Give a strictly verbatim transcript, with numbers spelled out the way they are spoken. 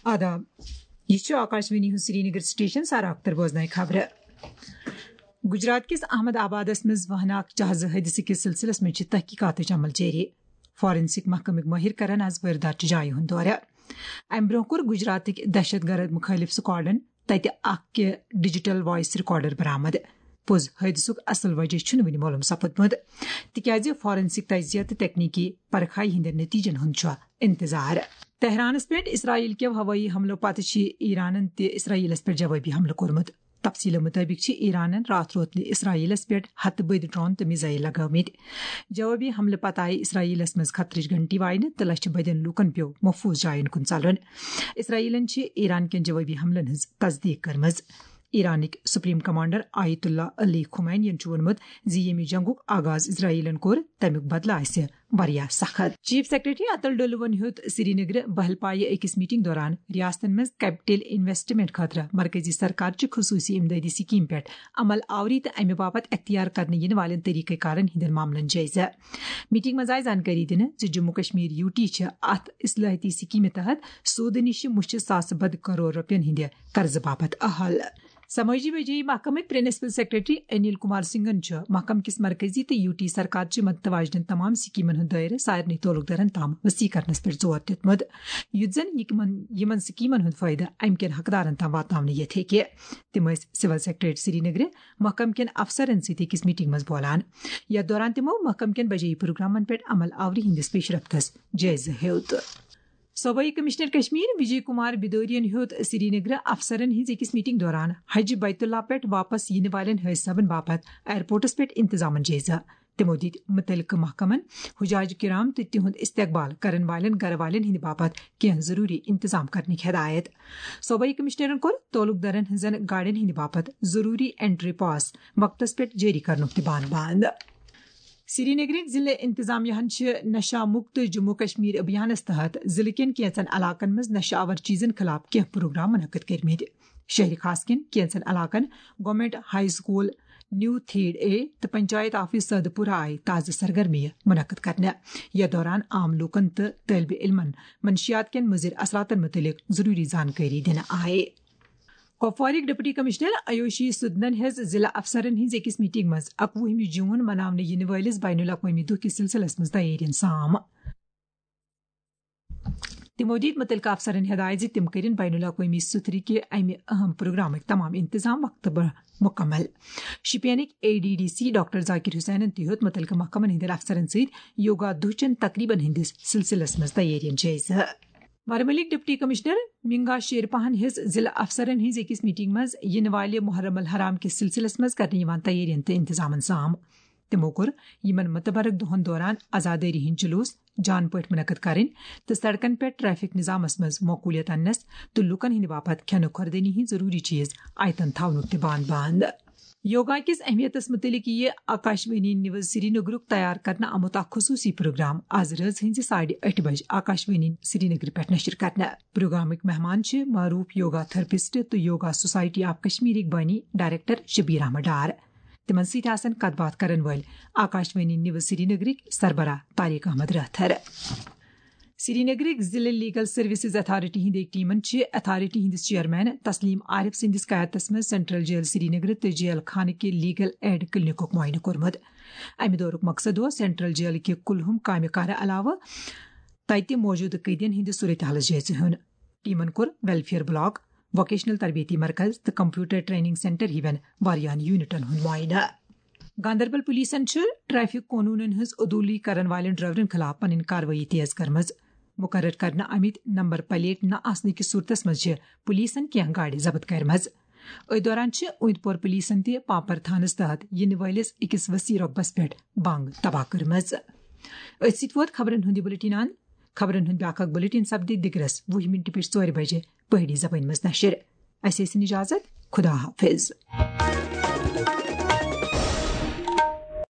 آداب، یہِ چھُ آکاشوانی ہُنٛد سرینگر سٹیشن۔ سارا اختر بوزناوِ خبرٕ۔ گجرات کِس احمد آبادس منٛز وہناک جہازٕ حٲدثہٕ کِس سلسلس منٛز چھِ تحقیقاتٕچ عمل جٲری۔ فارنسک محکمٕکۍ مٲہِر کرن از وٲرۍداتچہِ جایہِ ہُنٛد دورٕ۔ امہِ برٛونٛہہ کوٚر گجراتٕکۍ دہشت گرد مُخٲلف سکواڈن تتہِ اکھ کہِ ڈیجیٹل وائس ریکارڈر برآمد۔ پوٚز حٲدثُک اصل وجہ چھُنہٕ وُنہِ معلوم سپدمُت، تِکیازِ فارنسک تجزیہ تہٕ تکنیکی پرکھائی ہٕنٛدٮ۪ن نتیجن ہُنٛد چھُ انتظار۔ تہرانس پٮ۪ٹھ اسرائیل کٮ۪و ہوٲیی حملو پتہٕ چھِ ایرانن تہِ اسرائیلس پٮ۪ٹھ جوابی حملہٕ کوٚرمُت۔ تفصیلو مُطٲبِق چھِ ایرانن راتھ روتلہِ اسرائیلس پٮ۪ٹھ ہتہٕ بٔدۍ ڈرون تہٕ میزائل لگٲومٕتۍ۔ جوابی حملہٕ پتہٕ آیہِ اسرائیلس منٛز خطرٕچ گھنٹی واینہٕ تہٕ لچھِ بٔدٮ۪ن لوٗکن پیوٚو محفوظ جاین کُن ژلُن۔ اسرائیلن چھِ ایران کٮ۪ن جوابی حملن ہٕنٛز تصدیق کٔرمٕژ۔ ایرانٕکۍ سپریم کمانڈر آیت اللہ علی خمینین چھُ ووٚنمُت زِ ییٚمہِ جنگُک آغاز اسرائیلن کوٚر، تَمیُک بدلہٕ آسہِ واریاہ سخت۔ چیف سیکرٹری اتل ڈولوَن ہیوٚت سرینگرٕ بہلپایہِ أکِس میٹنگ دوران ریاستن منٛز کیپٹل انویسٹمنٹ خٲطرٕ مرکزی سرکار چہِ خصوصی امدادی سکیم پٮ۪ٹھ عمل آوری تہٕ امہِ باپتھ اختیار کرنہٕ یِنہٕ والٮ۪ن طریقہ کارن ہٕنٛدٮ۪ن معاملن جٲیزٕ۔ میٹنگ منٛز آیہِ زانکٲری دِنہٕ زِ جموں کشمیر یو ٹی چھِ اتھ اصلاحاتی سکیمہِ تحت سودٕ نِش مُچھِ ساسہٕ بد کرور رۄپین ہٕنٛدِ قرضہٕ باپتھ اہل۔ سمٲجی بجٲیی محکمٕکۍ پرنسپل سیکرٹری انیل کمار سنگھن چھُ محکمہٕ کِس مرکزی تہٕ یو ٹی سرکار چہِ مدتہٕ واجنٮ۪ن تمام سکیمن ہُنٛد دٲیرٕ سارنٕے تعلق دارن تام وسیع کرنس پٮ۪ٹھ زور دیُتمُت، یُتھ زن یہِ تِمن، یِمن سکیمن ہُنٛد فٲیدٕ امہِ کٮ۪ن حقدارن تام واتناونہٕ یِتھ ہیٚکہِ۔ تِم ٲسۍ سول سیکرٹریٹ سرینگرٕ محکمہٕ کٮ۪ن افسرن سۭتۍ أکِس میٹنگ منٛز بولان، یتھ دوران تِمو محکمہٕ کٮ۪ن بجٲیی پروگرامن پٮ۪ٹھ عمل آوری ہٕنٛدِس پیشرفتس جٲیزٕ ہیوٚت۔ صوبائی کمشنر کشمیر وجے کمار بدوریَن ہیوٚت سرینگرٕ افسرن ہٕنٛز أکِس میٹنگ دوران حج بیت اللہ پٮ۪ٹھ واپس یِنہٕ والٮ۪ن حٲج صٲبن باپتھ ایئرپورٹس پٮ۪ٹھ انتظامن جٲیزٕ۔ تِمو دِتۍ مُتعلقہٕ محکمن حجاج کرام تہٕ تِہُنٛد استقبال کرن والٮ۪ن گرٕ والٮ۪ن ہٕنٛدِ باپتھ کینٛہہ ضروٗری انتظام کرنٕکۍ ہدایت۔ صوبائی کمشنرن کوٚر تعلق دارن ہٕنٛزن گاڑٮ۪ن ہٕنٛدِ باپتھ ضروٗری انٹری پاس وقتس پٮ۪ٹھ جٲری کرنُک تہِ بان بند۔ سرینگرٕکۍ ضلع انتظامیہ ہن چھِ نشہ مکت جموں کشمیر ابھیانس تحت ضلع کٮ۪ن کینٛژن علاقن منٛز نشہ آور چیزن خلاف کینٛہہ پروگرام منعقد کٔرمٕتۍ۔ شہر خاص کٮ۪ن کینٛژن علاقن، government high school, new Theed A تہٕ پنچایت آفس سعدٕ پورہ آیہِ تازٕ سرگرمیہِ منعقد کرنہٕ۔ یتھ دوران عام لوٗکن تہٕ طٲلبِ علمن منشیات کٮ۪ن مُضر اثراتن مُتعلق ضروٗری زانکٲری دِنہٕ آیہِ۔ کپوارٕکۍ ڈپٹی کمشنر آیوشی سدنن ہیٚژ ضلع افسرن ہٕنٛز أکِس میٹنگ منٛز اکوُہمہِ جون مناونہٕ یِنہٕ وٲلِس بین الاقوٲمی دۄہ کِس سلسلس منٛز تیٲرین سام۔ تِمو دِتۍ مُتعلقہٕ افسرن ہدایت زِ تِم کٔرِن بین الاقوٲمی سُتھرٕ کہِ امہِ اہم پروگرامٕکۍ تمام انتظام وقتہٕ برٛونٛہہ مُکمل۔ شُپینٕکۍ A D D C doctor Zakir حسینن تہِ ہیوٚت مُتعلقہٕ محکمن ہٕنٛدٮ۪ن افسرن سۭتۍ یوگا دۄہ چٮ۪ن تقریبن ہٕنٛدِس سلسلس منٛز تیٲرین جٲیزٕ۔ ورمُلٕکۍ ڈپٹی کمشنر منگا شیرپاہن ہیٚژ ضلع افسرن ہٕنٛز أکِس میٹنگ منٛز یِنہٕ والہِ محرم الحرام کِس سلسلس منٛز کرنہٕ یِوان تیٲرین تہٕ انتظامن سام۔ تِمو کوٚر یِمن متبرک دۄہن دوران عزادٲری ہٕنٛدۍ جلوس جان پٲٹھۍ منعقد کرٕنۍ تہٕ سڑکن پٮ۪ٹھ ٹریفک نظامس منٛز معقولیت اننس تہٕ لوٗکن ہٕنٛدِ باپتھ کھٮ۪نہٕ خوردٲنی ہٕنٛدۍ ضروٗری چیز آیتن تھاونُک تہِ بان بند۔ یوگا کِس اہمیتس مُتعلق یِیہِ آکاشوانی نیوز سرینگرُک تیار کرنہٕ آمُت اکھ خصوٗصی پروگرام آز رٲژ ہٕنٛزِ ساڑِ ٲٹھِ بجہِ آکاشوانی سرینگرٕ پٮ۪ٹھ نشر کرنہٕ۔ پروگرامٕکۍ مہمان چھِ معروٗف یوگا تھراپسٹ تہٕ یوگا سوسائٹی آف کشمیرٕکۍ بٲنی ڈائریکٹر شبیر احمد ڈار۔ تِمن سۭتۍ آسن کتھ باتھ کرن وٲلۍ آکاشوانی نیوز سرینگرٕکۍ سربراہ طارق احمد رٲتھر۔ سرینگرٕکۍ ضلع لیگل سروسز اتھارٹی ہٕنٛدِ ٹیمن چھِ اتھارٹی ہٕنٛدِس چیئرمین تسلیم عارف سٕنٛدِس قیادتس منٛز سینٹرل جیل سرینگر تہٕ جیل خانہٕ کہِ لیگل ایڈ کلینکُک معائنہٕ کوٚرمُت۔ امہِ دورُک مقصد اوس سینٹرل جیل کہِ کُلہُم کامہِ کارٕ علاوٕ تتہِ موجودٕ قٲدین ہٕنٛدِ صورتحالٕچ جٲیزٕ ہیوٚن۔ ٹیمن کوٚر ویلفیئر بلاک، ووکیشنل تربیتی مرکز تہٕ کمپیوٹر ٹریننگ سینٹر ہِوٮ۪ن واریاہن یونٹن ہُنٛد معائنہٕ۔ گاندربل پولیسن چھِ ٹریفک قونوٗنن ہٕنٛز عدوٗلی کرن والٮ۪ن ڈرائیورن خلاف پنٕنۍ کاروٲیی تیز کٔرمٕژ۔ مُقرر کرنہٕ آمٕتۍ نمبر پلیٹ نہ آسنہٕ کِس صورتس منٛز چھِ پولیسن کینٛہہ گاڑِ ضبط کٔرمٕژ۔ أتھۍ دوران چھِ اوٗنت پور پولیسن تہِ پامپر تھانس تحت یِنہٕ وٲلِس أکِس وسیع رۄقبس پٮ۪ٹھ بنٛگ تباہ کٔرمٕژ۔ أتھۍ سۭتۍ ووت خبرن ہُنٛد یہِ بلیٹن اند۔ خبرن ہُنٛد بیٛاکھ اکھ بلیٹن سپدِ دِگرس وُہہِ منٹہِ پٮ۪ٹھ ژورِ بجہِ پہٲڑی زبٲنۍ منٛز نشر۔ اسہِ ٲسِن اجازت۔ خدا حافظ۔